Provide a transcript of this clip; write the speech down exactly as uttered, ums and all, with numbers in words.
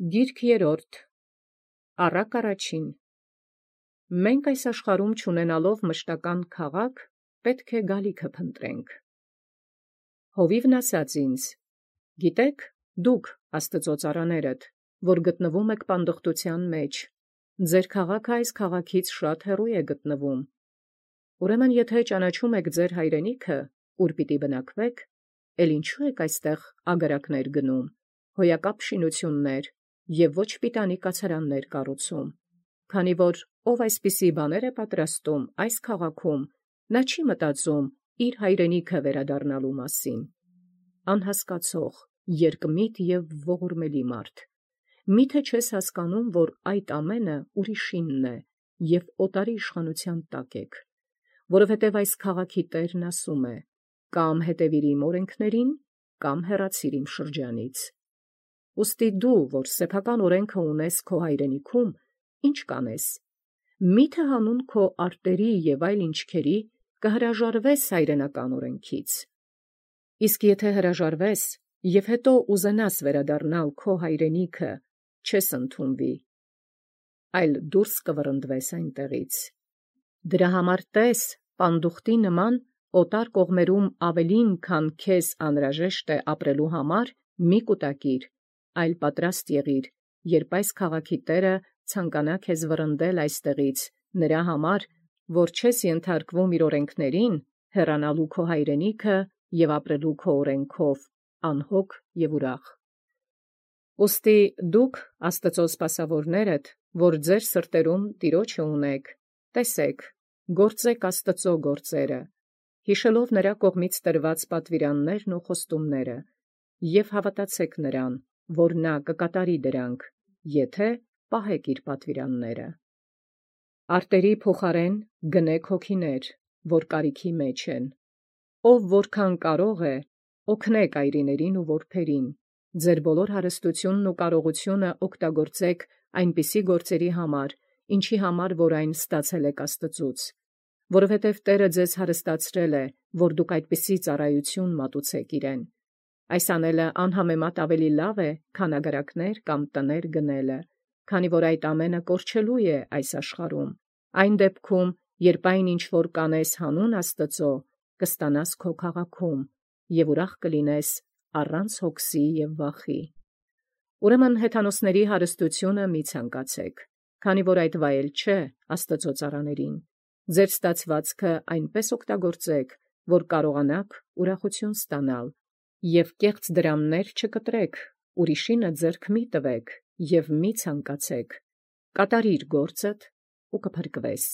Գիրք երրորդ Առակ առաջին Մենք այս աշխարհում չունենալով մշտական քաղաք, պետք է գալիքը փնտրենք։ Հովիվն ասաց ինձ. Գիտեք, դուք Աստծո ծառաներդ, որ գտնվում եք պանդխտության մեջ, ձեր քաղաքը այս քաղաքից շատ հեռու է գտնվում։ Ուրեմն եթե ճանաչում եք ձեր հայրենիքը, ուր պիտի բնակվեք, էլ ինչու եք այստեղ ագարակներ գնում, հոյակապ շինություններ և ոչ պիտանի կացարաններ կառուցում, քանի որ ով այսպիսի բաներ է պատրաստում այս քաղաքում, նա չի մտածում իր հայրենիքը վերադառնալու մասին։ Անհասկացող, երկմիտ և ողորմելի մարդ, միթե չես հասկանում, որ այդ ամենը ուրիշինն է և օտարի իշխանության տակ եք, որովհետև այս քաղաքի տերն ասում է. կամ հետևիր իմ օրենքներին, կամ հեռացիր իմ շրջանից։ Ուստի դու, որ սեփական օրենքը ունես քո հայրենիքում, ի՞նչ կանես։ Մի՞թե հանուն քո արտերի և այլ ինչքերի կհրաժարվես հայրենական օրենքից։ Իսկ եթե հրաժարվես և հետո ուզենաս վերադառնալ քո հայրենիքը, չես ընդունվի, այլ դուրս կվռնդվես այնտեղից։ Դրա համար տես, պանդուխտի նման օտար կողմերում ավելին, քան քեզ անհրաժեշտ է ապրելու համար, մի կուտակիր, այլ պատրաստ եղիր, երբ այս քաղաքի տերը ցանկանա քեզ վռնդել այստեղից, նրա համար, որ չես ենթարկվում իր օրենքներին, հեռանալու քո հայրենիքը և ապրելու քո օրենքով, անհոգ և ուրախ։ Ուստի դուք, Աստծո սպասավորներդ, որ ձեր սրտերում Տիրոջը ունեք, տեսեք, գործեք Աստծո գործերը, հիշելով նրա կողմից տրված պատվիրաններն ու խոստումները, և հավատացեք նրան, որ նա կկատարի դրանք, եթե պահեք իր պատվիրանները։ Արտերի փոխարեն գնեք հոգիներ, որ կարիքի մեջ են։ Ով որքան կարող է, օգնեք այրիներին ու որբերին, ձեր բոլոր հարստությունն ու կարողությունը օգտագործեք այնպիսի գործերի համար, ինչի համար որ այն ստացել եք Աստծուց, որովհետև Տերը ձեզ հարստացրել է, որ դուք այդպիսի ծառայություն մատուցեք իրեն։ Այս անելը անհամեմատ ավելի լավ է, քան ագարակներ կամ տներ գնելը, քանի որ այդ ամենը կորչելու է այս աշխարհում։ Այն դեպքում, երբ այն ինչ որ կանես հանուն Աստծո, կստանաս քո քաղաքում, և ուրախ կլինես առանց հոգսի և վախի։ Ուրեմն հեթանոսների հարստությունը մի ցանկացեք, քանի որ այդ վայել չէ Աստծո ծառաներին։ Ձեր ստացվածքը այնպես օգտագործեք, որ կարողանաք ուրախություն ստանալ, և կեղծ դրամներ չկտրեք, ուրիշինը ձեռք մի տվեք և մի ցանկացեք, կատարիր գործդ ու կփրկվես։